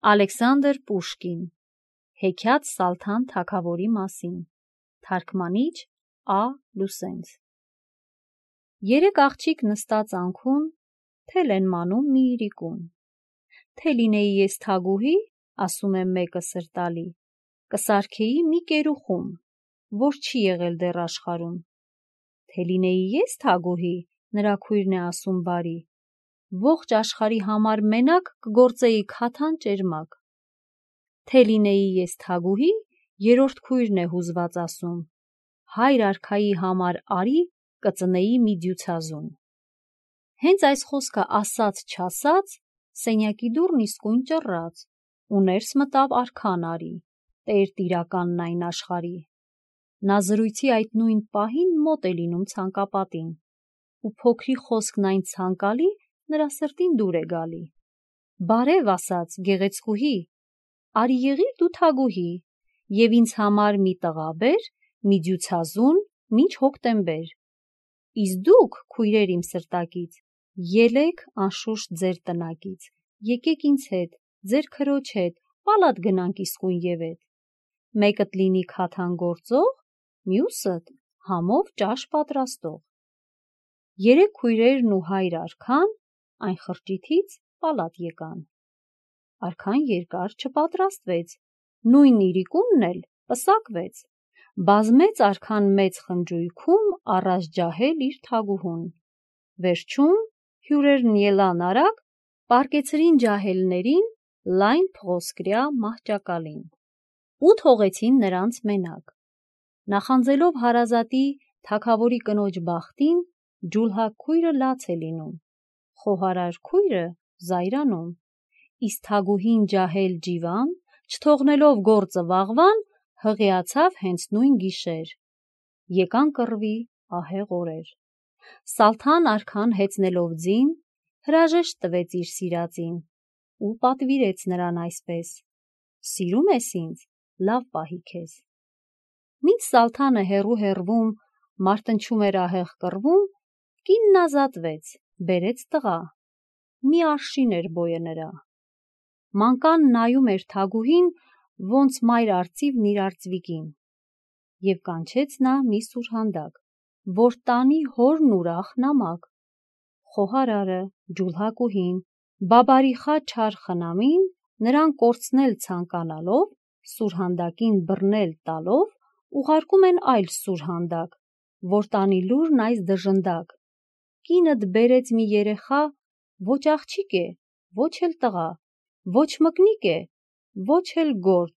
Ալեքսանդր Պուշկին Հեքիաթ Սալթան թագավորի մասին Թարգմանիչ Ա. Լուսենց Երեք աղջիկ նստած անքուն թել են մանում մի իրիկուն։ Թե լինեի ես թագուհի, ասում է մեկը սրտալի, կսարքեի մի կերուխում, որ չի եղել դեռ աշխարհում։ Թե լինեի ես թագուհի, նրա քույրն է ասում բարի, ողջ աշխարհի համար մենակ կգործեի քաթան ճերմակ։ Թե լինեի ես թագուհի, երրորդ քույրն է հուզված ասում, հայր արքայի համար արի կծնեի մի դյուցազուն։ Հենց այս խոսքը ասաց չասաց, սենյակի դուռն իսկույն ճռռաց, ու ներս մտավ արքան Արի, տեր տիրականն այն աշխարհի։ Նա զրույցի այդ նույն պահին մոտ է լինում ցանկապատին, ու փոքրի խոսքն այն ցանկալի նրա սրտին դուր է գալի։ Բարև ասաց գեղեցկուհի, արի եղիր դու թագուհի, և ինձ համար մի տղա բեր, մի դյուցազուն, մինչ հոկտեմբեր։ Իսկ դուք, քույրեր իմ սրտակից, ելեք անշուշտ ձեր տնակից, եկեք ինձ հետ, ձեր քրոջ հետ, պալատ գնանք իսկույն ևեթ։ Մեկդ լինի քաթան գործող, մյուսդ համով ճաշ պատրաստող։ Երեք քույրերն ու հայր արքան այն խրճիթից պալատ եկան։ Արքան երկար չպատրաստվեց, նույն իրիկունն էլ պսակվեց։ Բազմեց արքան մեծ խնջույքում առաջ ջահել իր թագուհուն։ Վերջում հյուրերն ելան արագ, պառկեցրին ջահելներին լայն փղոսկրյա մահճակալին ու թողեցին նրանց մենակ։ Նախանձելով հարազատի թագավորի կնոջ բախտին, ջուլհակ քույրը լաց է լինում, խոհարար քույրը զայրանում, իսկ թագուհին ջահել ջիվան, չթողնելով գործը վաղվան, հղիացավ հենց նույն գիշեր։ Եկան կռվի ահեղ օրեր։ Սալթան արքան հեծնելով ձին, հրաժեշտ տվեց իր սիրածին ու պատվիրեց նրան այսպես. «Սիրում ես ինձ, լավ պահի քեզ»։ Մինչ Սալթանը հեռու մարտնչում էր ահեղ կռվում, կինն ազատվեց, բերեց տղա, մի արշին էր բոյը նրա։ Մանկան նայում էր թագուհին, ոնց մայր արծիվն իր արծվիկին, և կանչեց նա մի սուրհանդակ, որ տանի հորն ուրախ նամակ։ Խոհարարը, ջուլհակուհին, բաբարիխա չար խնամին, նրան կորցնել ցանկանալով, սուրհանդակին բռնել տալով, ուղարկում են այլ սուրհանդակ, որ տանի լուրն այս դժնդակ. կինդ բերեց մի երեխա, ոչ աղջիկ է, ոչ էլ տղա, ոչ մկնիկ է, ոչ էլ գործ,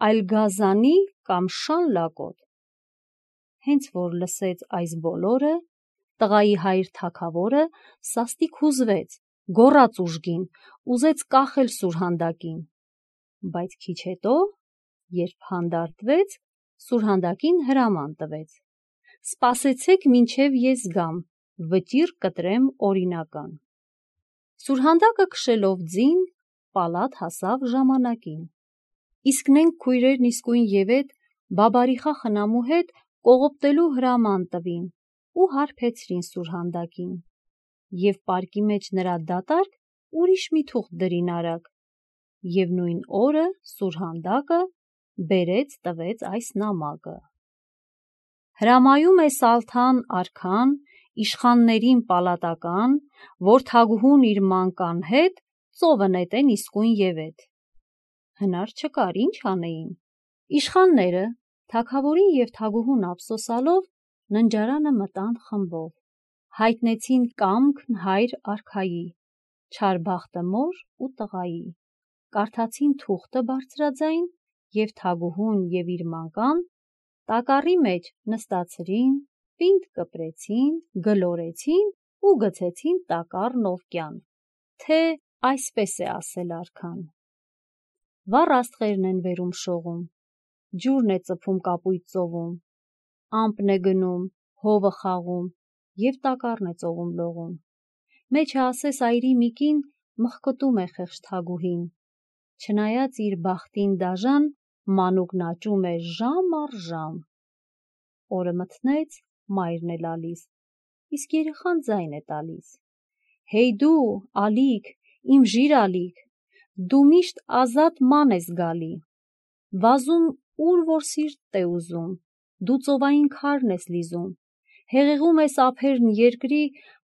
այլ գազանի կամ շան լակոտ։ Հենց որ լսեց այս բոլորը, տղայի հայր թագավորը սաստիկ հուզվեց, գոռաց ուժգին, ուզեց կախել սուրհանդակին, բայց քիչ հետո, երբ հանդարտվեց, սուրհանդակին հրաման տվեց. «Սպասեցեք մինչև ես գամ, վճիռ կտրեմ օրինական»։ Սուրհանդակը քշելով ձին, պալատ հասավ ժամանակին։ Իսկ նենք քույրերն իսկույն ևեթ բաբարիխա խնամու հետ կողոպտելու հրաման տվին ու հարբեցրին սուրհանդակին, և պարկի մեջ նրա դատարկ ուրիշ մի թուղթ դրին արագ, և նույն օրը սուրհանդակը բերեց տվեց այս նամակը. «Հրամայում է Սալթան արքան իշխաններին պալատական, որ թագուհուն իր մանկան հետ ծովը նետեն իսկույն ևեթ»։ Հնար չկար, ինչ անեին։ Իշխանները, թագավորին և թագուհուն ափսոսալով, ննջարանը մտան խմբով, հայտնեցին կամքն հայր արքայի, չար բախտը մոր ու տղայի, կարդացին թուղթը բարձրաձայն և թագուհուն և իր մանկան տակառի մեջ նստացրին, պինդ կպրեցին, գլորեցին ու գցեցին տակառն ովկյան, թե այսպես է ասել արքան. «Վառ աստղերն են բերում շողում, ջուրն է ծփում կապույտ ծովում, ամպն է գնում, հովը խաղում և տակառն է ծովում լողում։ Մեջը ասես այրի մի կին մխկտում է խեղճ թագուհին, չնայած իր բախտին դաժան, մանուկն աճում է ժամ առ ժամ։ Օրը մթնեց, մայրն է լալիս, իսկ երեխան ձայն է տալիս. «Հեյ դու, ալիք, իմ ժիր ալիք, դու միշտ ազատ ման ես գալի, վազում ուր որ սիրտդ է ուզում, դու ծովային քարն ես լիզում, հեղեղում ես ափերն երկրի,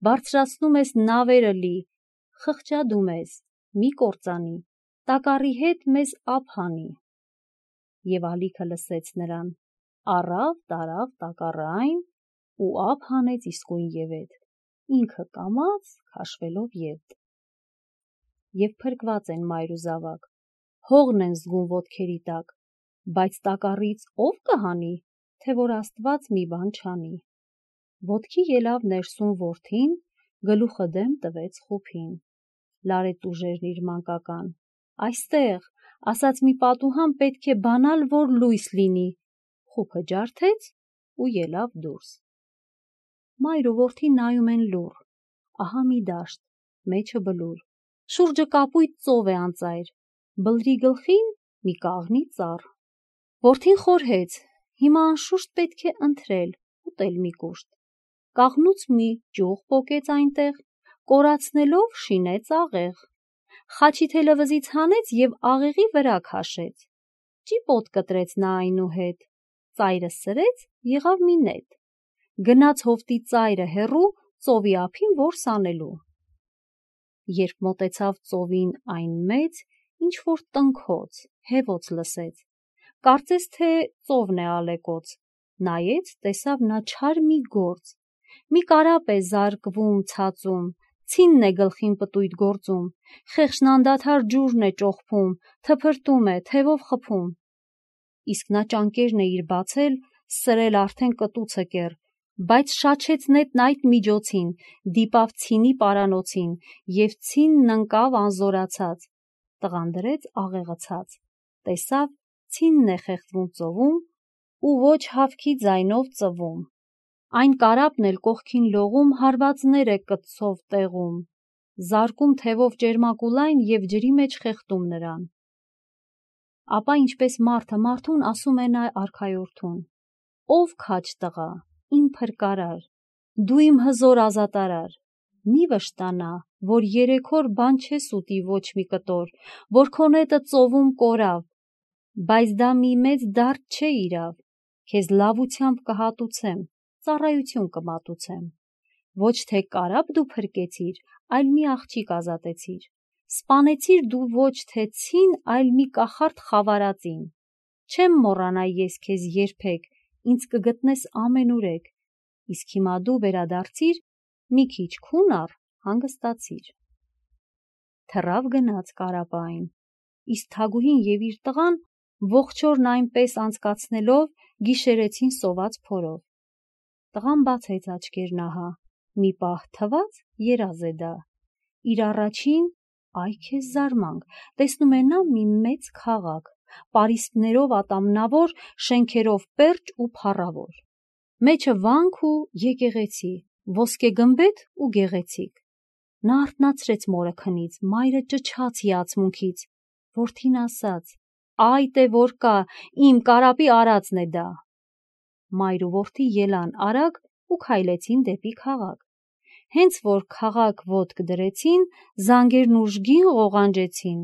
բարձրացնում ես նավերը լի, խղճադում ես, մի կործանի, տակառի հետ մեզ ափ հանի։ Եվ ալիքը լսեց նրան, առավ, տարավ տակառը այն, ու ափ հանեց իսկույն ևեթ, ինքը կամաց քաշվելով ետ։ Եվ փրկված են մայր ու զավակ, հողն են զգում ոտքերի տակ, բայց տակառից ով կհանի, թե որ Աստված մի բան չանի։ Ոտքի ելավ ներսում որդին, գլուխը դեմ տվեց խուփին, լարեց ուժերն իր մանկական, այստեղ, ասաց մի պատուհան պետք է բանալ, որ լույս լինի, խուփը ջարդեց ու ելավ դուրս։ Մայր ու որդին նայում են լուռ, ահա մի դաշտ, մեջը բլուր, շուրջը կապույտ ծով է անծայր, բլրի գլխին մի կաղնի ծառ։ Որդին խորհեց, հիմա անշուշտ պետք է ընթրել, ուտել մի կուշտ։ Կաղնուց մի ճյուղ պոկեց այնտեղ, կորացնելով շինեց աղեղ, խաչի թելը վզից հանեց և աղեղի վրա քաշեց, ճիպոտ կտրեց նա այնուհետ, ծայրը սրեց, եղավ մի նետ, գնաց հովտի ծայրը հեռու, ծովի ափին որս անելու։ Երբ մոտեցավ ծովին այն մեծ, ինչ-որ տնքոց, հևոց լսեց, կարծեց, թե ծովն է ալեկոծ, նայեց, տեսավ նա չար մի գործ, մի կարապ է զարկվում ցածում, ցինն է գլխին պտույտ գործում, խեղճն անդադար ջուրն է ճոխփում, թփրտում է, թևով խփում։ Իսկ նա ճանկերն է իր բացել, սրել արդեն կտուցը կեռ, բայց շաչեց նետն այդ միջոցին, դիպավ ցինի պարանոցին, և ցինն ընկավ անզորացած, տղան դրեց աղեղը ցած, տեսավ ցինն է խեղդվում ծովում, ու ոչ հավքի ձայնով ծվում, այն կարապն էլ կողքին լողում հարվածներ է կտցով տեղում, զարկում թևով ճերմակ ու լայն և ջրի մեջ խեղդում նրան։ Ապա ինչպես մարդը մարդուն ասում է նա արքայորդուն. «Ով քաջ տղա, իմ փրկարար, դու իմ հզոր ազատարար, մի վշտանա, որ երեք օր բան չես ուտի ոչ մի կտոր, որ քո նետը ծովում կորավ, բայց դա մի մեծ դարդ չէ իրավ, քեզ լավությամբ կհատուցեմ, ծառայություն կմատուցեմ, ոչ թե կարապ դու փրկեցիր, այլ մի աղջիկ ազատեցիր, սպանեցիր դու ոչ թե ցին, այլ մի կախարդ խավարածին, չեմ մոռանա ես քեզ երբեք, ինձ կգտնես ամենուրեք, իսկ հիմա դու վերադարձիր, մի քիչ քուն առ, հանգստացիր»։ Թռավ գնաց կարապը այն, իսկ թագուհին և իր տղան ողջ օրն այնպես անցկացնելով գիշերեցին սոված փորով։ Տղան բացեց աչքերն ահա, մի պահ թված երազ է դա, իր առաջին, այ քեզ զարմանք, տեսնում է նա մի մեծ քաղաք, պարիսպներով ատամնավոր, շենքերով պերճ ու փառավոր, մեջը վանք ու եկեղեցի, ոսկեգմբեթ ու գեղեցիկ։ Նա արթնացրեց մորը քնից, մայրը ճչաց հիացմունքից, որդին ասաց. «Այդ է որ կա, իմ կարապի արածն է դա»։ Մայր ու որդի ելան արագ ու քայլեցին դեպի քաղաք։ Հենց որ քաղաք ոտք դրեցին, զանգերն ուժգին ղողանջեցին։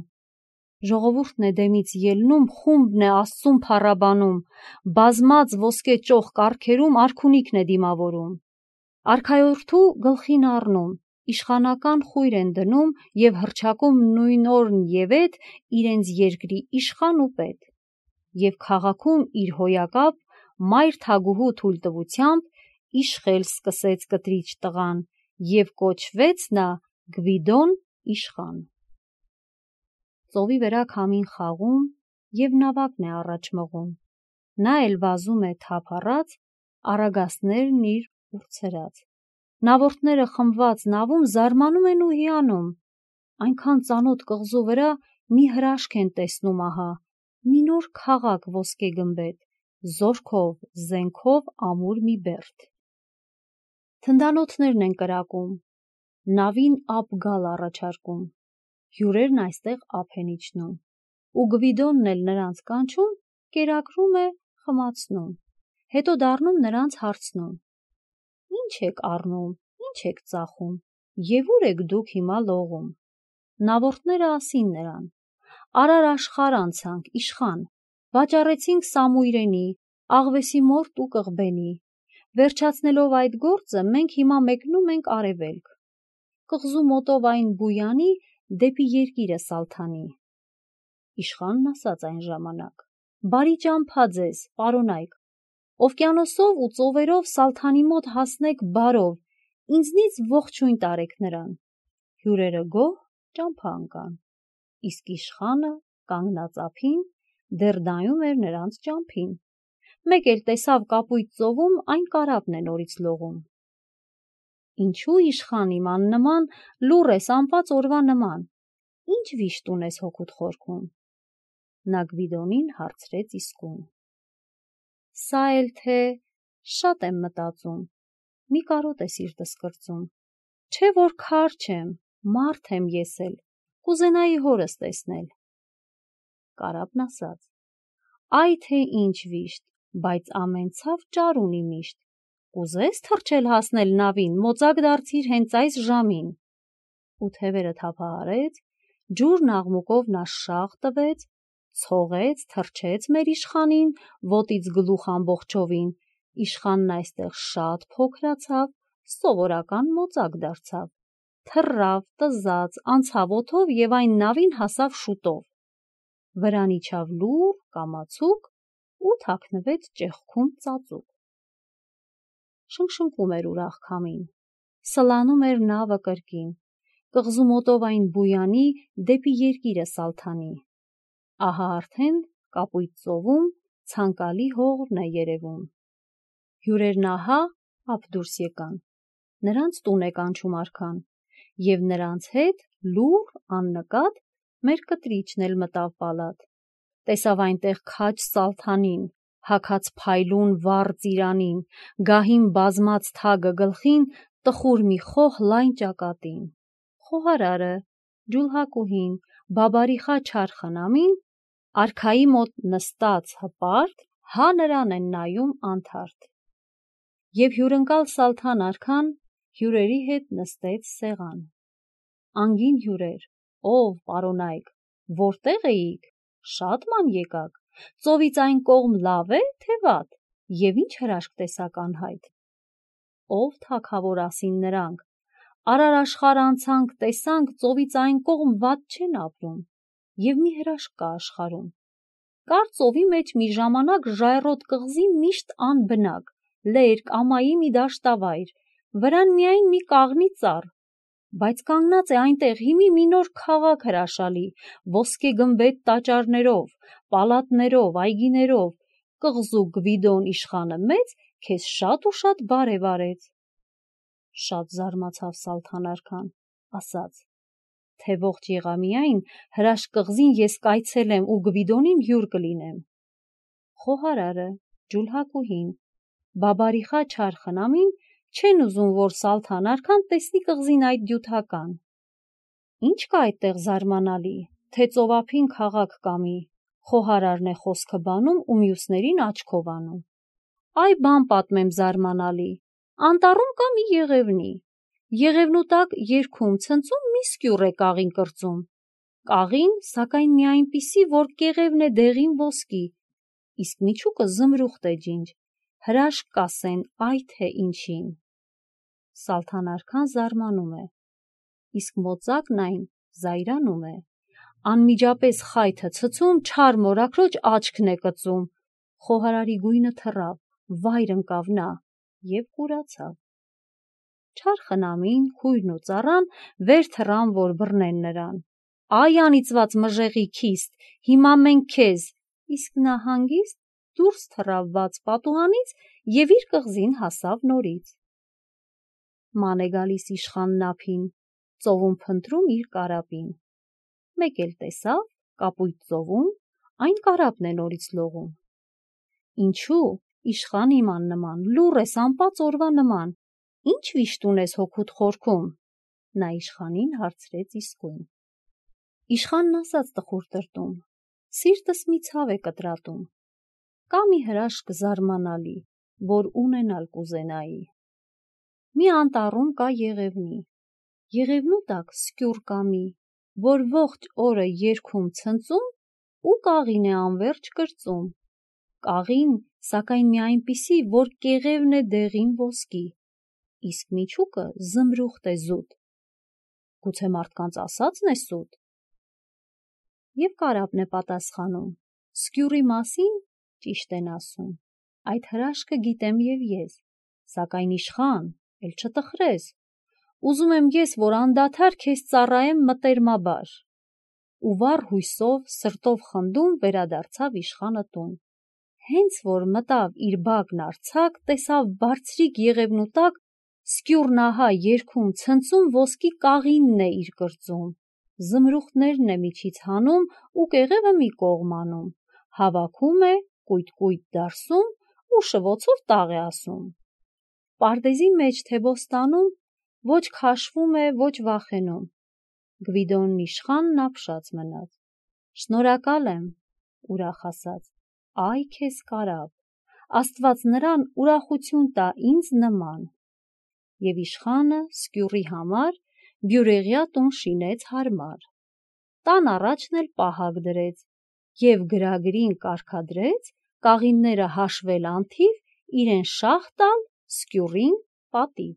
Ժողովուրդն է դեմից ելնում, խումբն է Աստծուն փառաբանում, բազմած ոսկե ճոխ կառքերում արքունիքն է դիմավորում։ Արքայորդու գլխին առնում, իշխանական խույր են դնում և հռչակում նույն օրն ևեթ իրենց երկրի իշխան ու պետ։ Եվ քաղաքում իր հոյակապ մայր թագուհու թույլտվությամբ իշխել սկսեց կտրիչ տղան և կոչվեց նա Գվիդոն իշխան։ Ծովի վրա քամին խաղում և նավակն է առաջ մղում, նա էլ վազում է թափ առած, առագաստներն իր ուրցրած, նավորդները խմբված նավում զարմանում են ու հիանում, այնքան ծանոթ կղզու վրա մի հրաշք են տեսնում ահա, մի նոր քաղաք ոսկեգմբեթ, զորքով, զենքով ամուր մի բերդ։ Թնդանոթներն են կրակում, նավին ափ գալ առաջարկում, հյուրերն այստեղ ափ են իջնում, ու Գվիդոնն էլ նրանց կանչում, կերակրում է, խմացնում, հետո դառնում նրանց հարցնում. «Ինչ եք առնում, ինչ եք ծախում, և ուր եք դուք հիմա լողում»։ Նավորդները ասին նրան. Արար աշխարհ անցանք, իշխան, վաճառեցինք Սամույրենի, աղվեսի մորտ ու կղբենի, վերջացնելով այդ գործը մենք հիմա մեկնում ենք արևելք, կղզու մոտով այն Բույանի դեպի երկիրը Սալթանի։ Իշխանն ասաց այն ժամանակ. «Բարի ճամփա ձեզ, պարոնայք, օվկիանոսով ու ծովերով Սալթանի մոտ հասնեք բարով, ինձնից ողջույն տարեք նրան»։ Հյուրերը գոհ ճամփա ընկան, իսկ իշխանը կանգնած ափին դեռ նայում էր նրանց ճամփին։ Մեկ էլ տեսավ կապույտ ծովում այն կարապն է նորից լողում։ «Ինչու իշխան իմ աննման, լուռ ես անպած օրվա նման, ինչ վիշտ ունես հոգուդ խորքում»։ Նա Գվիդոնին հարցրեց իսկույն. «Սա էլ թե շատ եմ մտածում, մի կարոտ է սիրտս կրծում, չէ որ քար չեմ, մարդ եմ ես էլ, կուզենայի հորս տեսնել»։ Կարապն ասաց. «Այ թե ինչ վիշտ, բայց ամեն ցավ ճար ունի միշտ, կուզես թռչել հասնել նավին, մոծակ դարձիր հենց այս ժամին»։ Ու թևերը թափահարեց, ջուրն աղմուկով նա շաղ տվեց, ցողեց, թռչեց մեր իշխանին, ոտից գլուխ ամբողջովին, իշխանն այստեղ շատ փոքրացավ, սովորական մոծակ դարձավ, թռավ, տզաց, անցավ օդով և այն նավին հասավ շուտով, վրան իջավ լուռ, կամացուկ ու թաքնվեց ճեղքում ծածուկ։ Շնշնկում էր ուրախ քամին, սլանում էր նավը կրկին, կղզու մոտով այն Բույանի դեպի երկիրը Սալթանի։ Ահա արդեն կապույտ ծովում ցանկալի հողն է երևում։ Հյուրերն ահա ափ դուրս եկան, նրանց տուն է կանչում արքան, և նրանց հետ լուռ աննկատ մեր կտրիչն էլ մտավ պալատ, տեսավ այնտեղ քաջ Սալթանին, հագած փայլուն վառ ծիրանին, գահին բազմած թագը գլխին, տխուր մի խոհ լայն ճակատին, խոհարարը, ջուլհակուհին, բաբարիխա չար խնամին, արքայի մոտ նստած հպարտ, հա նրան են նայում անթարթ։ Եվ հյուրընկալ Սալթան արքան հյուրերի հետ նստեց սեղան։ Անգին հյուրեր, ով պարոնայք, որտեղ էիք, շատ ման եկաք, ծովից այն կողմ լավ է, թե վատ, և ինչ հրաշք տեսաք անհայտ։ Ով թագավոր ասին նրանք, արար աշխարհ անցանք, տեսանք, ծովից այն կողմ վատ չեն ապրում, և մի հրաշք կա աշխարհում։ Կար ծովի մեջ մի ժամանակ ժայռոտ կղզի միշտ անբնակ, լերկ, ամայի մի դաշտավայր, վրան միայն մի կաղնի ծառ, բայց կանգնած է այնտեղ հիմի մի նոր քաղաք հրաշալի, ոսկե գմբեթ տաճարներով, պալատներով, այգիներով, կղզու Գվիդոն իշխանը մեծ քեզ շատ ու շատ բարև արեց։ Շատ զարմացավ Սալթան արքան, ասաց, թե ողջ եղա միայն հրաշք կղզին ես կայցելեմ ու Գվիդոնին հյուր կլինեմ։ Խոհարարը, ջուլհակուհին, բաբարիխա չար խնամին չեն ուզում, որ Սալթան արքան տեսնի կղզին այդ դյութական։ Ինչ կա այդտեղ զարմանալի, թե ծովափին քաղաք կամի, խոհարարն է խոսքը բանում ու մյուսներին աչքով անում։ Այ բան պատմեմ զարմանալի, անտառում կա մի եղևնի, եղևնու տակ երգում ցնծում մի սկյուռ է կաղին կրծում, կաղին, սակայն մի այնպիսի, որ կեղևն է դեղին ոսկի, իսկ միջուկը զմրուխտ է ջինջ, հրաշք կասեն այ թե ինչին։ Սալթան արքան զարմանում է, իսկ մոծակն այն զայրանում է, անմիջապես խայթը ցցում, չար մորաքրոջ աչքն է կծում, խոհարարի գույնը թռավ, վայր ընկավ նա և կուրացավ։ Չար խնամին, քույրն ու ծառան վեր թռան, որ բռնեն նրան։ Այ անիծված մժեղի քիստ, հիմա մենք քեզ, իսկ նա հանգիստ դուրս թռավ բաց պատուհանից և իր կղզին հասավ նորից։ Ման է գալիս իշխանն ափին, ծովում փնտրում իր կարապին, մեկ էլ տեսավ կապույտ ծովում այն կարապն է նորից լողում։ Ինչու, իշխան իմ աննման, լուռ ես անպած օրվա նման, ինչ վիշտ ունես հոգուդ խորքում։ Նա իշխանին հարցրեց իսկույն։ Իշխանն ասաց տխուր տրտում, սիրտս մի ցավ է կտրատում, կա մի հրաշք զարմանալի, որ ունենալ կուզենայի։ Մի անտառում կա եղևնի, եղևնու տակ սկյուռ կամի, որ ողջ օրը երգում ցնծում ու կաղին է անվերջ կրծում։ Կաղին, սակայն մի այնպիսի, որ կեղևն է դեղին ոսկի, իսկ միջուկը զմրուխտ է զուտ։ Գուցե մարդկանց ասածն է սուտ։ Եվ կարապն է պատասխանում. «Սկյուռի մասին ճիշտ են ասում, այդ հրաշքը գիտեմ և ես, սակայն իշխան, էլ չտխրես, ուզում եմ ես, որ անդադար քեզ ծառայեմ մտերմաբար»։ Ու վառ հույսով, սրտով խնդում վերադարձավ իշխանը տուն։ Հենց որ մտավ իր բակն արձակ, տեսավ բարձրիկ եղևնու տակ սկյուռն ահա երգում ցնծում ոսկի կաղինն է իր կրծում, զմրուխտներն է միջից հանում ու կեղևը մի կողմ անում, հավաքում է, կույտ դարսում ու շվոցով տաղ է ասում։ Պարտեզի մեջ թե բոստանում ոչ քաշվում է, ոչ վախենում։ Գվիդոնն իշխանն ապշած մնաց։ «Շնորհակալ եմ», ուրախ ասաց, «այ քեզ կարապ, Աստված նրան ուրախություն տա ինձ նման»։ Եվ իշխանը սկյուռի համար բյուրեղյա տուն շինեց հարմար։ Տան առաջն էլ պահակ դրեց և գրագրին կարգադրեց կաղինները հաշվել անթիվ, իրեն շահ տալ, սկյուռին պատիվ։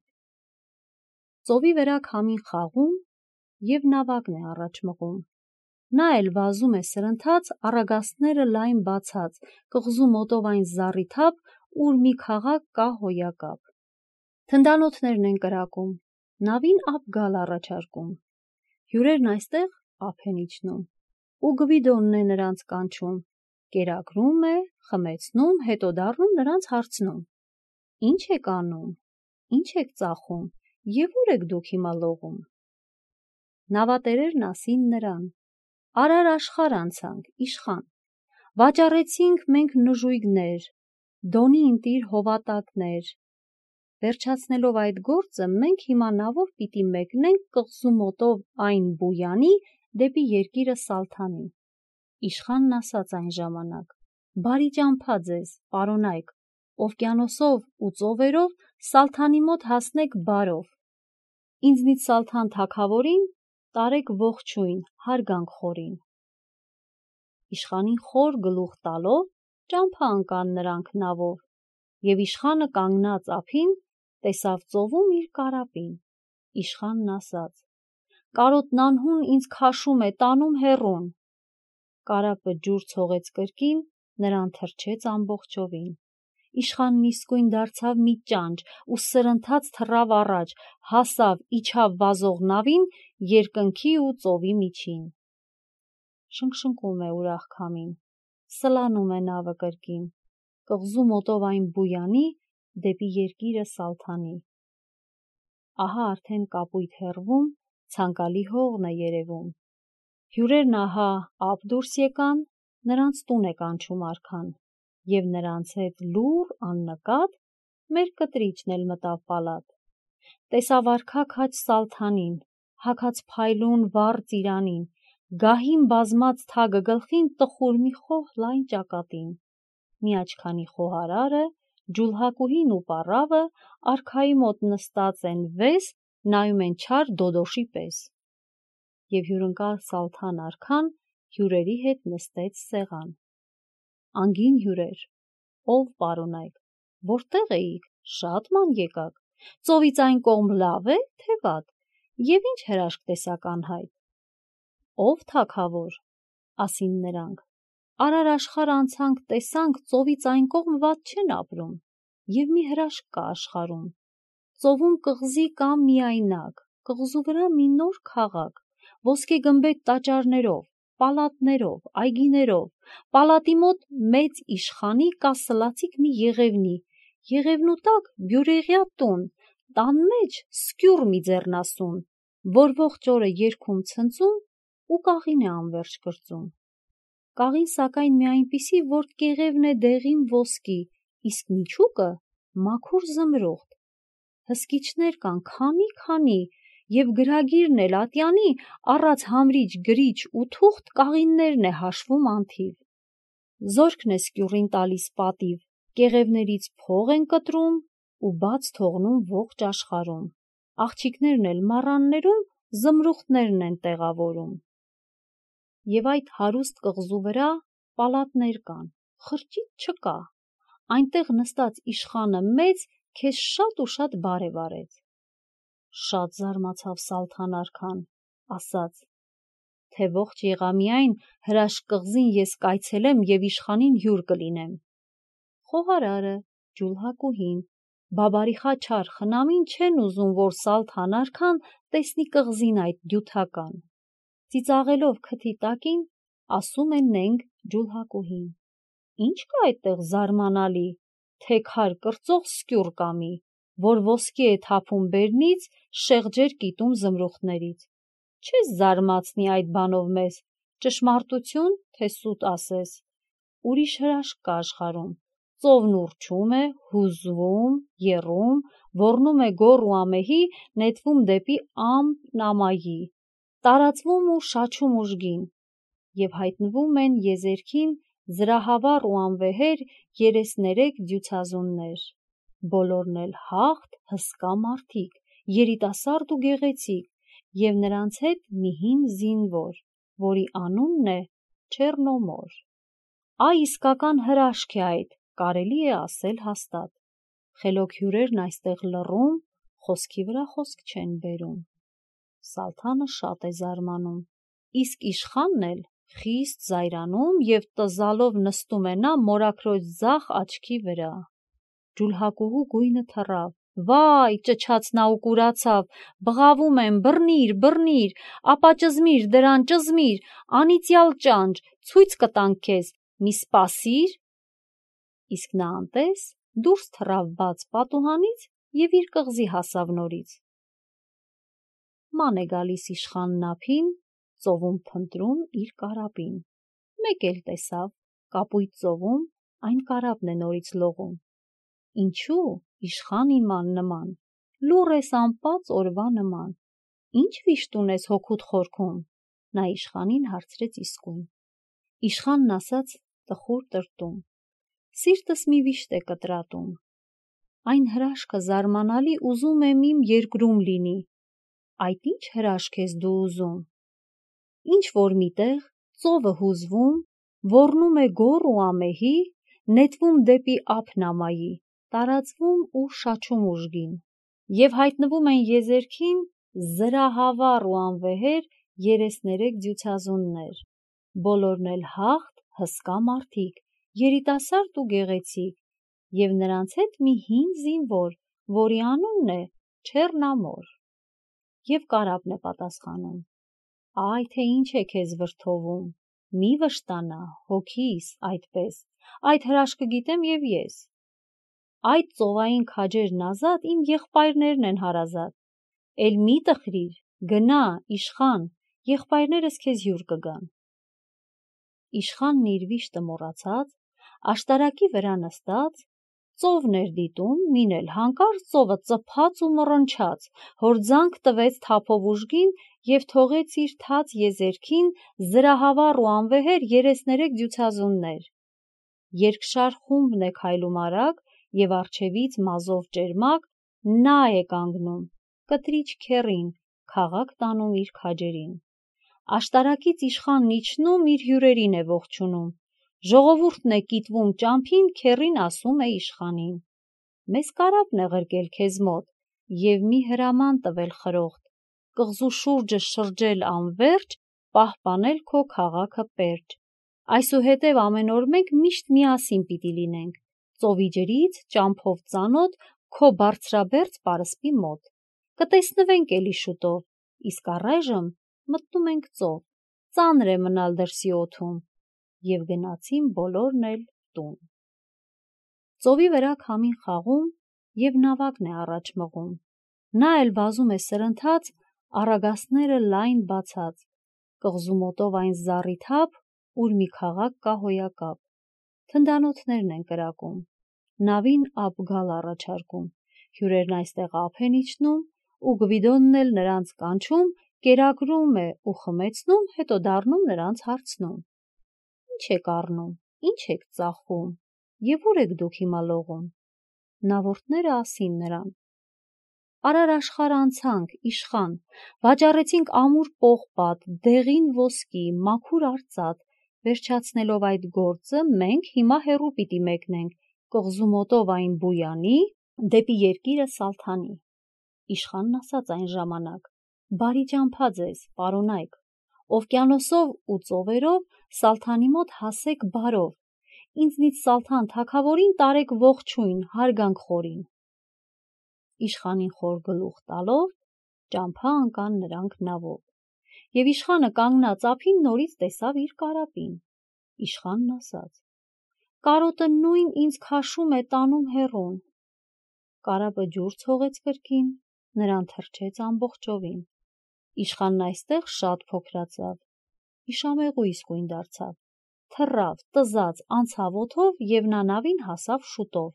Ծովի վրա քամին խաղում և նավակն է առաջ մղում։ Նա էլ վազում է սրընթաց, առագաստները լայն բացած, կղզու մոտով այն զառիթափ, ուր մի քաղաք կա հոյակապ։ Թնդանոթներն են կրակում, նավին ափ գալ առաջարկում։ Հյուրերն այստեղ ափ են իջնում, ու Գվիդոնն է նրանց կանչում, կերակրում է, խմեցնում, հետո դառնում նրանց հարցնում. «Ինչ եք անում, ինչ եք ծախում և ուր եք դուք հիմա լողում»։ Նավատերերն ասին նրան. «Արար աշխարհ անցանք, իշխան, վաճառեցինք մենք նժույգներ, դոնի ընտիր հովատակներ։ Վերջացնելով այդ գործը, մենք հիմա նավով պիտի մեկնենք կղզու մոտով այն Բույանի դեպի երկիրը Սալթանի»։ Իշխանն ասաց այն ժամանակ. «Բարի ճամփա ձեզ, պարոնայք, օվկիանոսով ու ծովերով Սալթանի մոտ հասնեք բարով։ Ինձնից Սալթան թագավորին տարեք ողջույն, հարգանք խորին»։ Իշխանին խոր գլուխ տալով ճամփա ընկան նրանք նավով, և իշխանը կանգնած ափին տեսավ ծովում իր կարապին։ Իշխանն ասաց. «Կարոտն անհուն ինձ քաշում է, տանում հեռուն»։ Կարապը ջուր ցողեց կրկին, նրան թրջեց ամբողջովին։ Իշխանն իսկույն դարձավ մի ճանճ ու սրընթաց թռավ առաջ, հասավ, իջավ վազող նավին, երկնքի ու ծովի միջին։ Շնշկում է ուրախ քամին, սլանում է նավը կրկին, կղզու մոտով այն Բույանի դեպի երկիրը Սալթանի։ Ահա արդեն կապույտ հեռվում, ցանկալի հողն է երևում։ Հյուրերն ահա ափ դուրս եկան, նրանց տուն է կանչում արքան, և նրանց հետ լուռ աննկատ մեր կտրիչն էլ մտավ պալատ։ Տեսավ արքա քաջ Սալթանին, հագած փայլուն վառ ծիրանին, գահին բազմած թագը գլխին տխուր մի խոհ լայն ճակատին։ Մի աչքանի խոհարարը, ջուլհակուհին ու պառավը արքայի մոտ նստած են վես, նայում են չար դոդոշի պես։ Եվ հյուրընկալ Սալթան արքան հյուրերի հետ նստեց սեղան։ Անգին հյուրեր, ով պարոնայք, որտե՞ղ էիք, շատ ման եկաք, ծովից այն կողմ լավ է, թե վատ, և ինչ հրաշք տեսաք անհայտ։ Ով թագավոր, ասին նրանք, արար աշխարհ անցանք, տեսանք, ծովից այն կողմ վատ չեն ապրում, և մի հրաշք կա աշխարհում։ Ծովում կղզի կա միայնակ, կղզու վրա մի նոր քաղաք, ոսկե գմբեթ տաճարներով, պալատներով, այգիներով, պալատի մոտ մեծ իշխանի կասլացիկ մի եղևնի, եղևնու տակ բյուրեղյա տուն, տան մեջ սկյուռ մի ձեռնասուն, որ ողջ օրը երգում ցնծում ու կաղին է անվերջ կրծում։ Կաղին սակայն մի այնպիսի, որ կեղևն է դեղին ոսկի, իսկ միջուկը մաքուր զմրուխտ։ Հսկիչներ կան քանի, և գրագիրն էլ ատյանի առած համրիչ, գրիչ ու թուղթ կաղիններն է հաշվում անթիվ։ Զորքն է սկյուռին տալիս պատիվ, կեղևներից փող են կտրում ու բաց թողնում ողջ աշխարհում։ Աղջիկներն էլ մառաններում զմրուխտներն են տեղավորում։ եւ այդ հարուստ կղզու վրա պալատներ կան, խրճիթ չկա, այնտեղ նստած իշխանը մեծ քեզ շատ ու շատ բարև արեց։ Շատ զարմացավ Սալթան արքան, ասաց, թե ողջ եղամիայն հրաշք կղզին ես կայցելեմ եւ իշխանին հյուր կլինեմ։ Խոհարարը, ջուլհակուհին, բաբարիխա չար խնամին չեն ուզում, որ Սալթան արքան տեսնի կղզին այդ դյութական։ Ծիծաղելով քթի տակին, ասում են նենք ջուլհակուհին. Ինչ կա այդտեղ զարմանալի, թե քար կրծող սկյուռ կամի, որ ոսկի է թափում բերնից, շեղջեր կիտում զմրուխտներից։ Չես զարմացնի այդ բանով մեզ, ճշմարտություն, թե սուտ ասես։ Ուրիշ հրաշք կա աշխարհում, ծովն ուռչում է, հուզվում, եռում, ոռնում է գոր ու ամեհի, նետվում դեպի ամպ նամայի, տարածվում ու շաչում ուժգին, եւ հայտնվում են եզերքին զրահավառ ու անվեհեր 33 դյուցազուններ, բոլորն էլ հաղթ, հսկա մարդիկ, երիտասարդ ու գեղեցիկ, եւ նրանց հետ մի հին զինվոր, որի անունն է Չեռնոմոր։ Այ իսկական հրաշք է այդ, կարելի է ասել հաստատ։ Խելոք հյուրերն այստեղ լռում, խոսքի վրա խոսք չեն բերում։ Սալթանը շատ է զարմանում, իսկ իշխանն էլ խիստ զայրանում եւ տզալով նստում է նա մորաքրոջ ձախ աչքի վրա։ Ջուլհակուհու գույնը թռավ, վայ, ճչաց նա ու կուրացավ, բղավում եմ, բռնիր, ապա ճզմիր դրան, ճզմիր, անիծյալ ճանճ, ցույց կտանք քեզ, մի սպասիր։ Իսկ նա անտես դուրս թռավ բաց պատուհանից եւ իր կղզի հասավ նորից։ Ման է գալիս իշխանն ափին, ծովում փնտրում իր կարապին։ Մեկ էլ տեսավ, կապույտ ծովում այն կարապն է նորից լողում։ Ինչու, իշխան իման նման, լուռ ես անպած օրվա նման, ինչ վիշտ ունես հոգուդ խորքում, նա իշխանին հարցրեց իսկույն։ Իշխանն ասաց տխուր տրտում. Սիրտս մի վիշտ է կտրատում, այն հրաշքը զարմանալի ուզում եմ իմ երկրում լինի, այդ ինչ հրաշք ես դու ուզում։ Ինչ որ միտեղ ծովը հուզվում, ոռնում է գոր ու ամեհի, նետվում դեպի ափ նամայի, տարածվում ու շաչում ուժգին, եւ հայտնվում են եզերքին զրահավառ ու անվեհեր 33 դյուցազուններ, բոլորն էլ հաղթ, հսկա մարդիկ, երիտասարդ ու գեղեցիկ, եւ նրանց հետ մի հին զինվոր, որի անունն է Չեռնամոր։ Եվ կարապն է պատասխանում. Այ թե ինչ է քեզ վրդովում, մի վշտանա, հոգիս, այդպես, այդ հրաշքը գիտեմ եւ ես։ Այդ ծովային քաջերն ազատ իմ եղբայրներն են հարազատ, էլ մի տխրիր, գնա, իշխան, եղբայրներս քեզ հյուր կգան։ Իշխանն իր վիշտը մոռացած, աշտարակի վրա նստած, ծովն էր դիտում, մին էլ հանկարծ ծովը ծփաց ու մռնչաց, հորձանք տվեց թափով ուժգին եւ թողեց իր թաց եզերքին զրահավառ ու անվեհեր 33 դյուցազուններ։ Երկշար խումբն է քայլում արագ եւ առջևից մազով ճերմակ նա է կանգնում, կտրիչ քեռին, քաղաք տանում իր քաջերին։ Աշտարակից իշխանն իջնում իր հյուրերին է ողջունում, ժողովուրդն է կիտվում ճամփին, քեռին ասում է իշխանին. Մեզ կարապն է ղրկել քեզ մոտ եւ մի հրաման տվել խրոխտ, կղզու շուրջը շրջել անվերջ, պահպանել քո քաղաքը պերճ։ Այսուհետև ամեն օր մենք միշտ միասին պիտի լինենք, ծովի ջրից ճամփով ծանոթ քո բարձրաբերձ պարսպի մոտ։ Կտեսնվենք էլի շուտով, իսկ առայժմ մտնում ենք ծով, ծանր է մնալ դրսի օդում։ Եվ գնացին բոլորն էլ տուն։ Ծովի վրա քամին խաղում եւ նավակն է առաջ մղում։ Նա էլ վազում է սրընթաց, առագաստները լայն բացած, կղզու մոտով այն զառիթափ, ուր մի քաղաք կա հոյակապ։ Թնդանոթներն են կրակում, նավին ափ գալ առաջարկում, հյուրերն այստեղ ափ են իջնում, ու Գվիդոնն էլ նրանց կանչում, կերակրում է ու խմեցնում, հետո դառնում նրանց հարցնում. Ինչ եք առնում, ինչ եք ծախում, եւ ուր եք դուք հիմա լողում։ Նավորդները ասին նրան. Արար աշխարհ անցանք, իշխան, վաճառեցինք ամուր պողպատ, դեղին ոսկի, մաքուր արծաթ, վերջացնելով այդ գործը, մենք հիմա հեռու պիտի մեկնենք, կղզու մոտով այն Բույանի, դեպի երկիրը Սալթանի։ Իշխանն ասաց այն ժամանակ. «Բարի ճամփա ձեզ, պարոնայք, օվկիանոսով ու ծովերով Սալթանի մոտ հասեք բարով, ինձնից Սալթան թագավորին տարեք ողջույն, հարգանք խորին»։ Իշխանին խոր գլուխ տալով ճամփա ընկան նրանք նավով, և իշխանը կանգնած ափին նորից տեսավ իր կարապին։ Իշխանն ասաց. «Կարոտը նույն ինձ քաշում է տանում հեռուն»։ Կարապը ջուր ցողեց կրկին, նրան թրջեց ամբողջովին։ Իշխանն այստեղ շատ փոքրացավ, իշամեղու իսկույն դարձավ, թռավ, տզաց, անցավ օդով և նա նավին հասավ շուտով,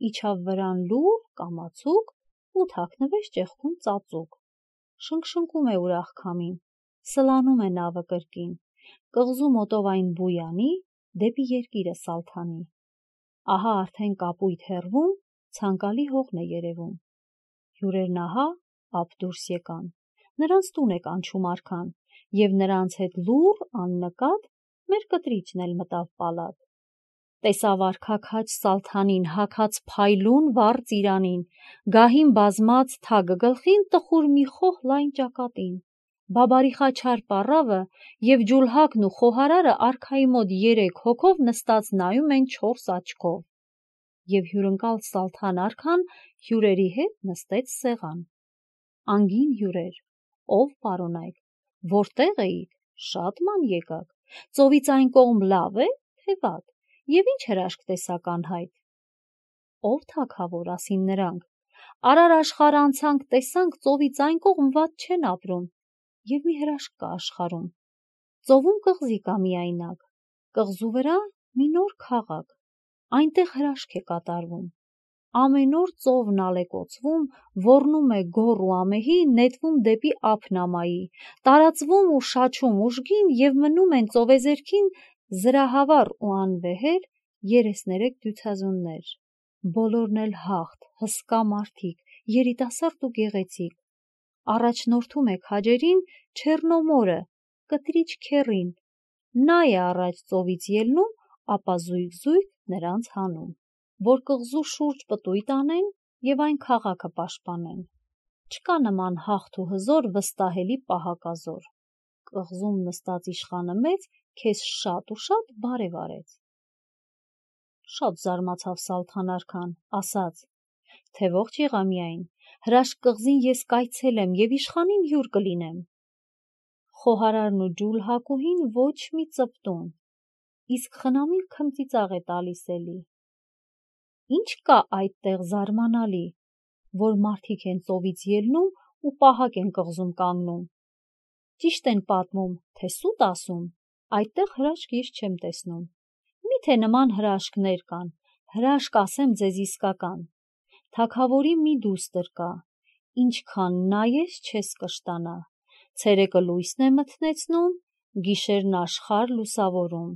իջավ վրան լուռ, կամացուկ ու թաքնվեց ճեղքում ծածուկ։ Շնգշնգում է ուրախ քամին, սլանում է նավը կրկին, կղզու մոտով այն Բույանի, դեպի երկիրը Սալթանի։ Ահա արդեն կապույտ հեռվում ցանկալի հողն է երևում։ Հյուրերն ահա ափ դուրս եկան, նրանց տուն է կանչում արքան, և նրանց հետ լուռ աննկատ մեր կտրիչն էլ մտավ պալատ։ Տեսավ արքա քաջ Սալթանին, հագած փայլուն վառ ծիրանին, գահին բազմած թագը գլխին տխուր մի խոհ լայն ճակատին, բաբարիխաչար պառավը և ջուլհակն ու խոհարարը արքայի մոտ 3 հոգով նստած նայում են 4 աչքով, և հյուրընկալ Սալթան արքան հյուրերի հետ նստեց սեղան։ Անգին հյուրեր, ով պարոնայք, որտեղ էիք, շատ ման եկաք, ծովից այն կողմ լավ է, թե վատ, և ինչ հրաշք տեսաք անհայտ։ Ով թագավոր, ասին նրանք, արար աշխարհ անցանք, տեսանք ծովից այն կողմ վատ չեն ապրում, և մի հրաշք կա աշխարհում։ Ծովում կղզի կա միայնակ, կղզու վրա մի նոր քաղաք, այնտեղ հրաշք է կատարվում։ Ամեն օր ծովն ալեկոծվում, ոռնում է գոր ու ամեհի, նետվում դեպի ափ նամայի, տարածվում ու շաչում ուժգին, և մնում են ծովեզերքին զրահավառ ու անվեհեր 33 դյուցազուններ, բոլորն էլ հաղթ, հսկա մարդիկ, երիտասարդ ու գեղեցիկ։ Առաջնորդում է քաջերին Չեռնոմորը, կտրիչ քեռին, նա է առաջ ծովից ելնում, ապա զույգ-զույգ նրանց հանում, որ կղզու շուրջ պտույտ անեն և այն քաղաքը պաշտպանեն։ Չկա նման հաղթ ու հզոր, վստահելի պահակազոր։ Կղզում նստած իշխանը մեծ քեզ շատ ու շատ բարև արեց։ Շատ զարմացավ Սալթան արքան, ասաց, թե ողջ եղա միայն, հրաշք կղզին ես կայցելեմ և իշխանին հյուր կլինեմ։ Խոհարարն ու ջուլհակուհին ոչ մի ծպտուն, իսկ խնամին քմծիծաղ է տալիս էլի։ Ինչ կա այդտեղ զարմանալի, որ մարդիկ են ծովից ելնում ու պահակ են կղզում կանգնում։ Ճիշտ են պատմում, թե սուտ ասում, այդտեղ հրաշք ես չեմ տեսնում։ Միթե նման հրաշքներ կան, հրաշք ասեմ ձեզ իսկական։ Թագավորի մի դուստր կա, ինչքան նայես չես կշտանա, ցերեկը լույսն է մթնեցնում, գիշերն աշխարհ լուսավորում,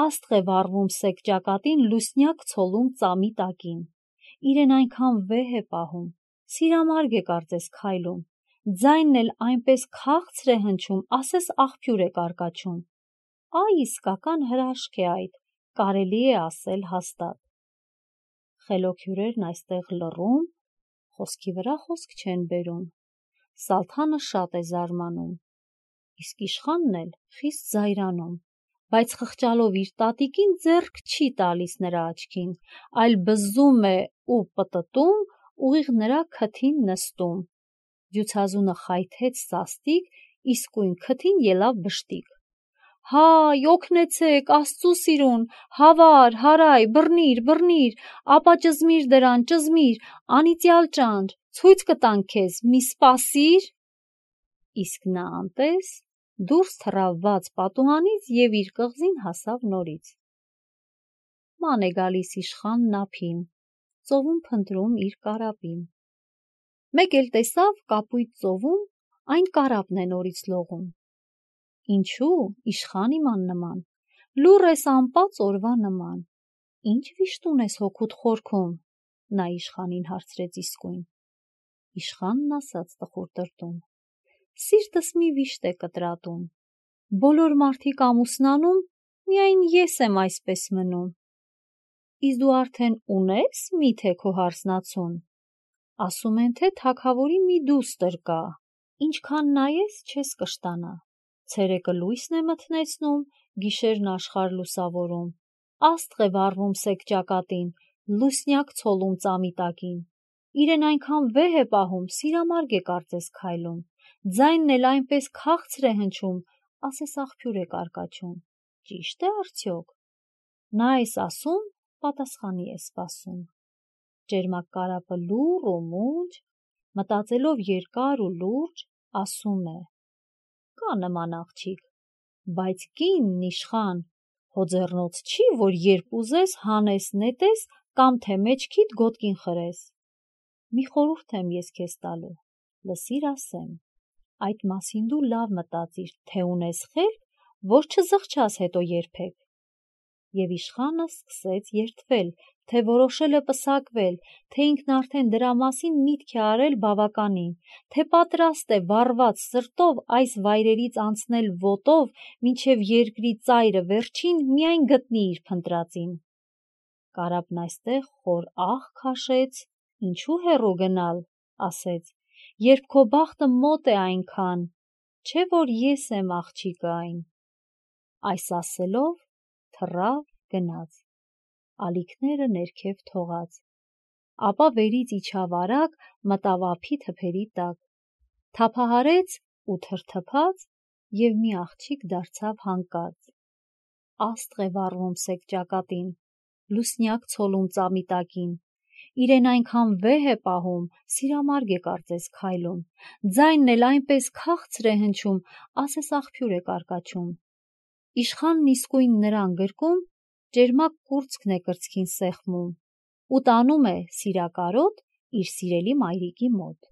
աստղ է վառվում սեկ ճակատին, լուսնյակ ցոլում ծամի տակին, իրեն այնքան վեհ է պահում, սիրամարգ է կարծես քայլում, ձայնն էլ այնպես քաղցր է հնչում, ասես աղբյուր է կարկաչում։ Այ իսկական հրաշք է այդ, կարելի է ասել հաստատ։ Խելոք հյուրերն այստեղ լռում, խոսքի վրա խոսք չեն բերում։ Սալթանը շատ է զարմանում, իսկ իշխանն էլ խիստ զայրանում, բայց խղճալով իր տատիկին ձեռք չի տալիս նրա աչքին, այլ բզում է ու պտտում, ուղիղ նրա քթին նստում։ Դյուցազունը խայթեց սաստիկ, իսկույն քթին ելավ բշտիկ։ Հայ, օգնեցեք, Աստծու սիրուն, հավար, հարայ, բռնիր, ապա ճզմիր դրան, ճզմիր, անիծյալ ճանճ, ցույց կտանք քեզ, մի սպասիր։ Իսկ նա անտես դուրս թռավ բաց պատուհանից և իր կղզին հասավ նորից։ Ման է գալիս իշխանն ափին, ծովում փնտրում իր կարապին։ Մեկ էլ տեսավ կապույտ ծովում այն կարապն է նորից լողում։ Ինչու, իշխան իման նման, լուռ ես անպած օրվա նման, ինչ վիշտուն ես հոգուդ խորքում, նա իշխանին հարցրեց իսկույն։ Իշխանն ասաց տխուր տրտում. Սիրտս մի վիշտ է կտրատում, բոլոր մարդիկ ամուսնանում, միայն ես եմ այսպես մնում։ Իսկ դու արդեն ունես միթե քո հարսնացուն, ասում են թե թագավորի մի դուստր կա, ինչքան նայես չես կշտանա, ցերեկը լույսն է մթնեցնում, գիշերն աշխարհ լուսավորում, աստղ է վառվում սեկ ճակատին, լուսնյակ ցոլում ծամի տակին, իրեն այնքան վեհ է պահում, սիրամարգ է կարծես քայլում, ձայնն էլ այնպես քաղցր է հնչում, ասես աղբյուր է կարկաչում, ճիշտ է արդյոք։ Նա էս ասում, պատասխանի է սպասում։ Ճերմակ կարապը լուռ ու մունջ, մտածելով երկար ու լուրջ, ասում է. կա նման աղջիկ, բայց կինն իշխան, հո ձեռնոց չի, որ երբ ուզես հանես նետես կամ թե մեջքիդ գոտկին խրես։ Մի խորհուրդ եմ ես քեզ տալու, լսիր ասեմ, այդ մասին դու լավ մտածիր, թե ունես խելք, որ չզղջաս հետո երբեք։ Եվ իշխանը սկսեց երդվել, թե որոշել է պսակվել, թե ինքն արդեն դրա մասին միտք է արել բավականին, թե պատրաստ է վառված սրտով այս վայրերից անցնել ոտով, մինչև երկրի ծայրը վերջին միայն գտնի իր փնտրածին։ Կարապն այստեղ խոր աղ քաշեց, ինչու հեռու գնալ, ասեց, երբ քո բախտը մոտ է այնքան, չէ որ ես եմ աղջիկը այն։ Այս ասելով թռավ գնաց, ալիքները ներքև թողած, ապա վերից իջավ արագ, մտավ ափի թփերի տակ, թափահարեց ու թրթփաց և մի աղջիկ դարձավ հանկարծ։ Աստղ է վառվում սեկ ճակատին, լուսնյակ ցոլում ծամի տակին, իրեն այնքան վեհ է պահում, սիրամարգ է կարծես քայլում, ձայնն էլ այնպես քաղցր է հնչում, ասես աղբյուր է կարկաչում։ Իշխանն իսկույն նրան գրկում, ճերմակ կուրծքն է կրծքին սեղմում ու տանում է սիրակարոտ իր սիրելի մայրիկի մոտ։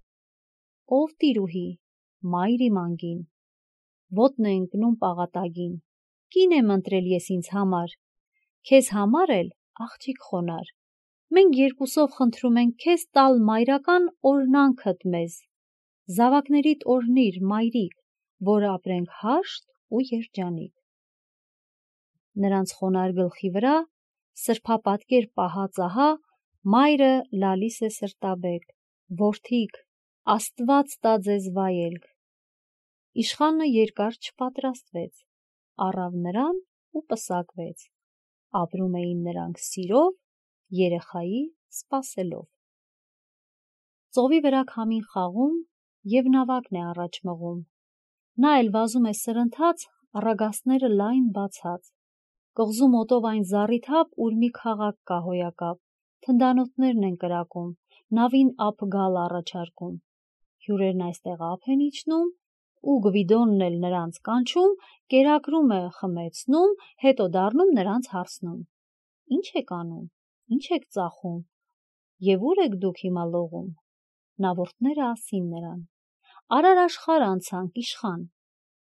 Ով տիրուհի, մայր իմ անգին, ոտն է ընկնում պաղատագին, կին եմ ընտրել ես ինձ համար, քեզ համար էլ աղջիկ խոնար, մենք երկուսով խնդրում ենք քեզ տալ մայրական օրհնանքդ մեզ, զավակներիդ օրհնիր, մայրիկ, որ ապրենք հաշտ ու երջանիկ։ Նրանց խոնար գլխի վրա, սրբապատկեր պահած ահա, մայրը լալիս է սրտաբեկ, որդիկ, Աստված տա ձեզ վայելք։ Իշխանը երկար չպատրաստվեց, առավ նրան ու պսակվեց, ապրում էին նրանք սիրով, երեխայի սպասելով։ Ծովի վրա քամին խաղում և նավակն է առաջ մղում, նա էլ վազում է սրընթաց, առագաստները լայն բացած, կղզու մոտով այն զառիթափ, ուր մի քաղաք կա հոյակապ, թնդանոթներն են կրակում, նավին ափ գալ առաջարկում, հյուրերն այստեղ ափ են իջնում ու Գվիդոնն էլ նրանց կանչում, կերակրում է խմեցնում, հետո դառնում նրանց հարցնում. Ինչ եք անում, ինչ եք ծախում և ուր եք դուք հիմա լողում։ Նավորդները ասին նրան. Արար աշխարհ անցանք, իշխան,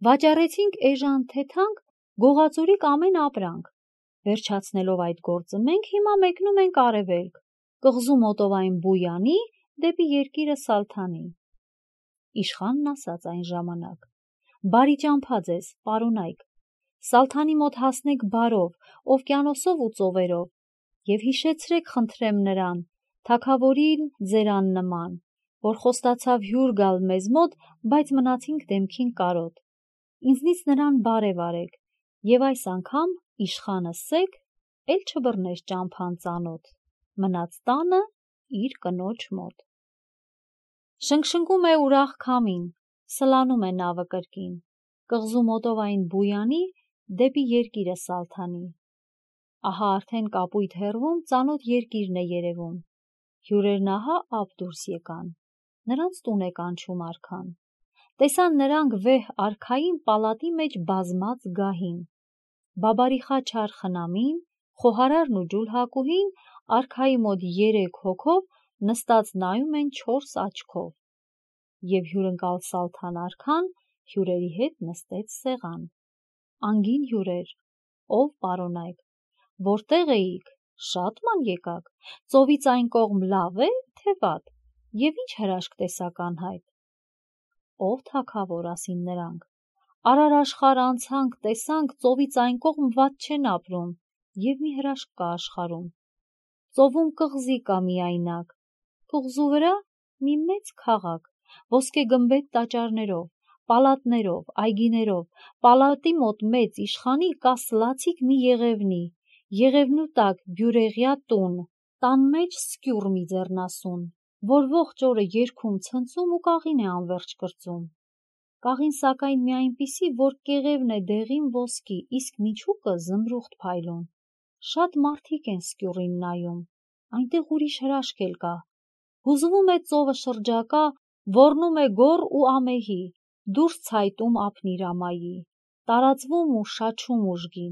վաճառեցինք էժան թեթանք, գողացուրիկ ամեն ապրանք, վերջացնելով այդ գործը մենք հիմա մեկնում ենք արևելք, կղզու մոտով այն Բույանի, դեպի երկիրը Սալթանի։ Իշխանն ասաց այն ժամանակ. Բարի ճամփա ձեզ, պարոնայք, Սալթանի մոտ հասնեք բարով, օվկիանոսով ու ծովերով, և հիշեցրեք խնդրեմ նրան, թագավորին ձեր աննման, որ խոստացավ հյուր գալ մեզ մոտ, բայց մնացինք դեմքին կարոտ, ինձնից նրան բարև արեք, և այս անգամ իշխանը սեկ, էլ չբռնես ճամփան ծանոթ, մնաց տանը իր կնոջ մոտ։ Շնգշնգում է ուրախ քամին, սլանում է նավը կրկին, կղզու մոտով այն Բույանի, դեպի երկիրը Սալթանի։ Ահա արդեն կապույտ հեռվում ծանոթ երկիրն է երևում, հյուրերն ահա ափ դուրս եկան, նրանց տուն է կանչում արքան, տեսան նրանք վեհ արքային պալատի մեջ բազմած գահին, բաբարիխա չար խնամին, խոհարարն ու ջուլհակուհին արքայի մոտ 3 հոգով նստած նայում են 4 աչքով, և հյուրընկալ Սալթան արքան հյուրերի հետ նստեց սեղան։ Անգին հյուրեր, ով պարոնայք, որտեղ էիք, շատ ման եկաք, ծովից այն կողմ լավ է, թե վատ, Եվ ինչ հրաշք տեսակ անհայտ։ Ով թագավոր, ասին նրանք, արար աշխարհ անցանք, տեսանք, ծովից այն կողմ վատ չեն ապրում, եւ մի հրաշք կա աշխարհում։ Ծովում կղզի կա միայնակ, կղզու վրա մի մեծ քաղաք, ոսկե գմբեթ տաճարներով, պալատներով, այգիներով, պալատի մոտ մեծ իշխանի կա սլացիկ մի եղևնի, եղևնու տակ բյուրեղյա տուն, տան մեջ սկյուռ մի ձեռնասուն, որ ողջ օրը երգում ցնծում ու կաղին է անվերջ կրծում։ Կաղին սակայն մի այնպիսի, որ կեղևն է դեղին ոսկի, իսկ միջուկը զմրուխտ փայլուն։ Շատ մարդիկ են սկյուռին նայում, այնտեղ ուրիշ հրաշք էլ կա։ Հուզվում է ծովը շրջակա, ոռնում է գոր ու ամեհի, դուրս ցայտում ափնիրամայի, տարածվում ու շաչում ուժգին։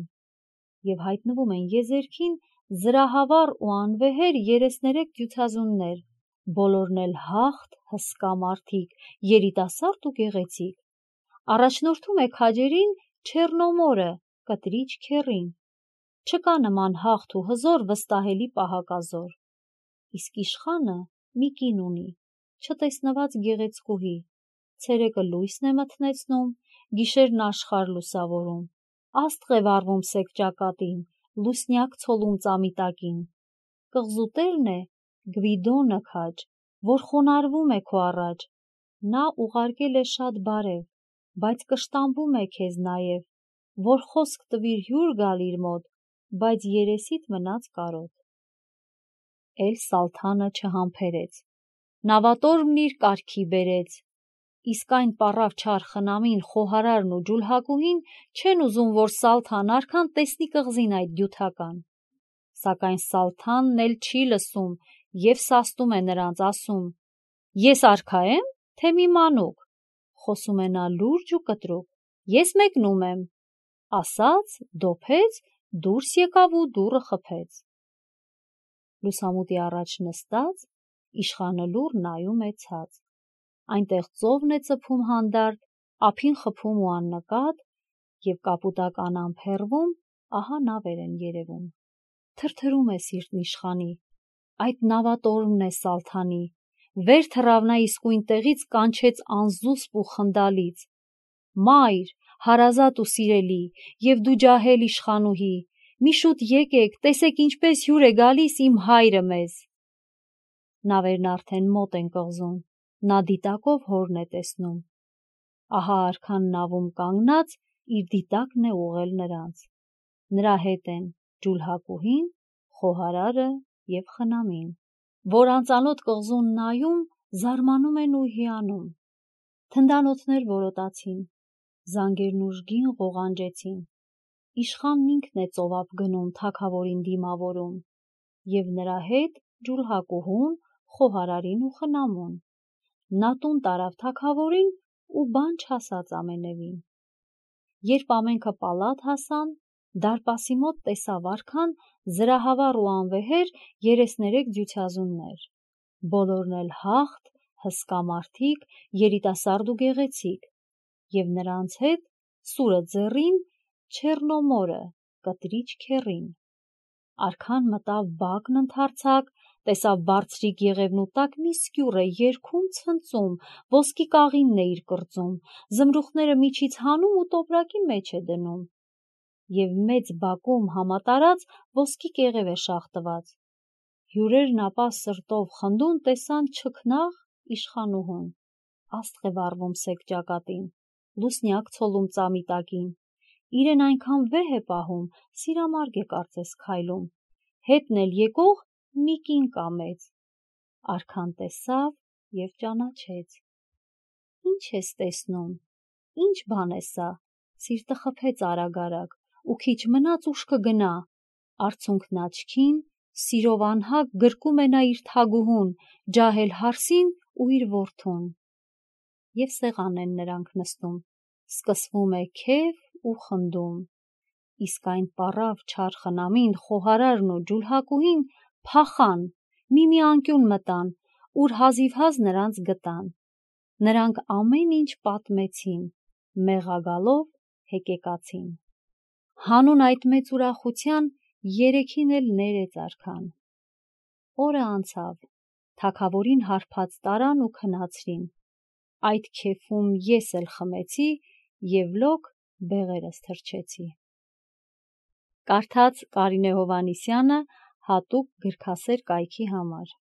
Եվ հայտնվում են եզերքին զրահավառ ու անվեհեր 33 դյուցազուններ, բոլորն էլ հաղթ, հսկա մարդիկ, երիտասարդ ու գեղեցիկ։ Առաջնորդում է քաջերին Չեռնոմորը, կտրիչ քեռին։ Չկա նման հաղթ ու հզոր վստահելի պահակազոր։ Իսկ իշխանը մի կին ունի, չտեսնված գեղեցկուհի, ցերեկը լույսն է մթնեցնում, գիշերն աշխարհ լուսավորում, աստղ է վառվում սև ճակատին, լուսնյակ ցոլում ծամիտակին։ Կղզու տերն է Գվիդոնը քաջ, որ խոնարհվում է քո առաջ, նա ուղարկել է շատ բարև, բայց կշտամբում է քեզ նաև, որ խոսք տվիր հյուր գալ իր մոտ, բայց երեսիդ մնաց կարոտ։ Էլ Սալթանը չհամբերեց, նավատորմն իր կարգի բերեց, իսկ այն պառավ չար խնամին, խոհարարն ու ջուլհակուհին չեն ուզում, որ Սալթան արքան տեսնի կղզին այդ դյութական։ Սակայն Սալթանն էլ չի լսում եւ սաստում է նրանց, ասում. «Ես արքա եմ, թե մի մանուկ», խոսում է նա լուրջ ու կտրուկ, «ես մեկնում եմ», ասաց, դոփեց, դուրս եկավ ու դուռը խփեց։ Լուսամուտի առաջ նստած, իշխանը լուռ նայում է ցած, այնտեղ ծովն է ծփում հանդարտ, ափին խփում ու աննկատ, եւ կապուտական ամփեռվում, ահա նավեր են երևում։ Թրթրում է սիրտն իշխանի, այդ նավատորմն է Սալթանի, վեր թռավ նա իսկույն տեղից, կանչեց անզուսպ ու խնդալից. «Մայր, հարազատ ու սիրելի, եւ դու ջահել իշխանուհի, մի շուտ եկեք, տեսեք ինչպես հյուր է գալիս իմ հայրը մեզ»։ Նավերն արդեն մոտ են կղզուն, նա դիտակով հորն է տեսնում։ Ահա արքան նավում կանգնած, իր դիտակն է ուղղել նրանց։ Նրա հետ են ջուլհակուհին, խոհարարը եւ խնամին, որ անծանոթ կղզուն նայում, զարմանում են ու հիանում։ Թնդանոթներ որոտացին, զանգերն ուժգին ղողանջեցին։ Իշխանն ինքն է ծովափ գնում, թագավորին դիմավորում, եւ նրա հետ ջուլհակուհուն, խոհարարին ու խնամուն։ Նա տուն տարավ թագավորին ու բան չասաց ամենևին։ Երբ ամենքը պալատ հասան, դարպասի մոտ տեսավ արքան զրահավառ ու անվեհեր 33 դյուցազուններ, բոլորն էլ հաղթ, հսկա մարդիկ, երիտասարդ ու գեղեցիկ, եւ նրանց հետ սուրը ձեռին Չեռնոմորը, կտրիչ քեռին։ Արքան մտավ բակն ընդարձակ, տեսավ բարձրիկ եղևնու տակ մի սկյուռ է երգում ցնծում, ոսկի կաղինն է իր կրծում, զմրուխտները միջից հանում ու տոպրակի մեջ է դնում, եւ մեծ բակում համատարած ոսկի կեղև է շաղտված։ Հյուրերն ապա սրտով խնդուն տեսան չքնաղ իշխանուհուն, աստղ է վառվում սև ճակատին, լուսնյակ ցոլում ծամիտակին, իրեն այնքան վեհ է պահում, սիրամարգ է կարծես քայլում, հետն էլ եկող մի կին կա մեծ։ Արքան տեսավ եւ ճանաչեց։ Ինչ ես տեսնում, ինչ բան է սա, սիրտը խփեց արագ-արագ, ու քիչ մնաց ուշ կգնա, արցունքն աչքին, սիրով անհագ գրկում է նա իր թագուհուն, ջահել հարսին ու իր որդուն։ Եվ սեղան են նրանք նստում, սկսվում է քեֆ ու խնդում, իսկ այն պառավ չար խնամին, խոհարարն ու ջուլհակուհին փախան, մի անկյուն մտան, ուր հազիվհազ նրանց գտան։ Նրանք ամեն ինչ պատմեցին, մեղագալով հեկեկացին։ Հանուն այդ մեծ ուրախության երեքին էլ ներեց արքան։ Օրը անցավ, թագավորին հարբած տարան ու քնացրին, այդ քեֆում ես էլ խմեցի և լոկ բեղերս թռչեցի։ Կարդաց Կարինե Հովհաննիսյանը հատուկ գրքասեր կայքի համար։